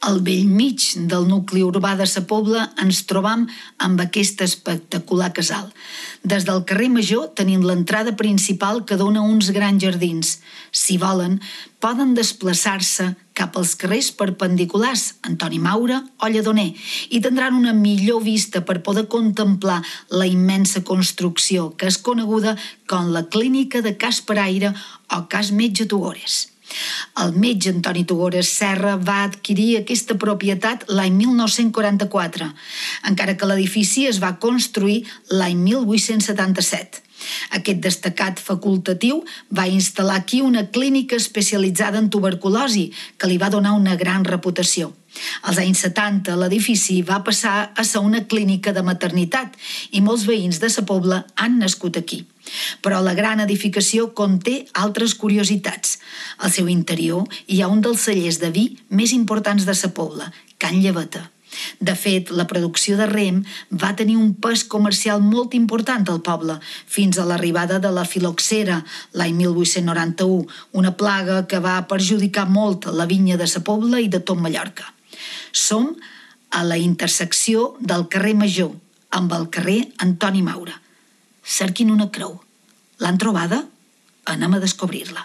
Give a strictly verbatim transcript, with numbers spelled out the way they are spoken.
Al bell mig del nucli urbà de Sa Pobla ens trobam amb aquest espectacular casal. Des del carrer Major tenim l'entrada principal que dona uns grans jardins. Si volen, poden desplaçar-se cap als carrers perpendiculars, Antoni Maura o Lledoner, i tindran una millor vista per poder contemplar la immensa construcció que és coneguda com la Clínica de Cas Peraire o Cas Metge Tugores. El metge Antoni Tugores Serra va adquirir aquesta propietat l'any mil nou-cents quaranta-quatre, encara que l'edifici es va construir l'any mil vuit-cents setanta-set. Aquest destacat facultatiu va instal·lar aquí una clínica especialitzada en tuberculosi, que li va donar una gran reputació. Als anys setanta, l'edifici va passar a ser una clínica de maternitat i molts veïns de Sa Pobla han nascut aquí. Però la gran edificació conté altres curiositats. Al seu interior hi ha un dels cellers de vi més importants de Sa Pobla, Can Lleveta. De fet, la producció de rem va tenir un pes comercial molt important al poble, fins a l'arribada de la filoxera l'any mil vuit-cents noranta-u, una plaga que va perjudicar molt la vinya de Sa Pobla i de tot Mallorca. Som a la intersecció del carrer Major amb el carrer Antoni Maura. Cerquin una creu. L'han trobada? Anem a descobrir-la.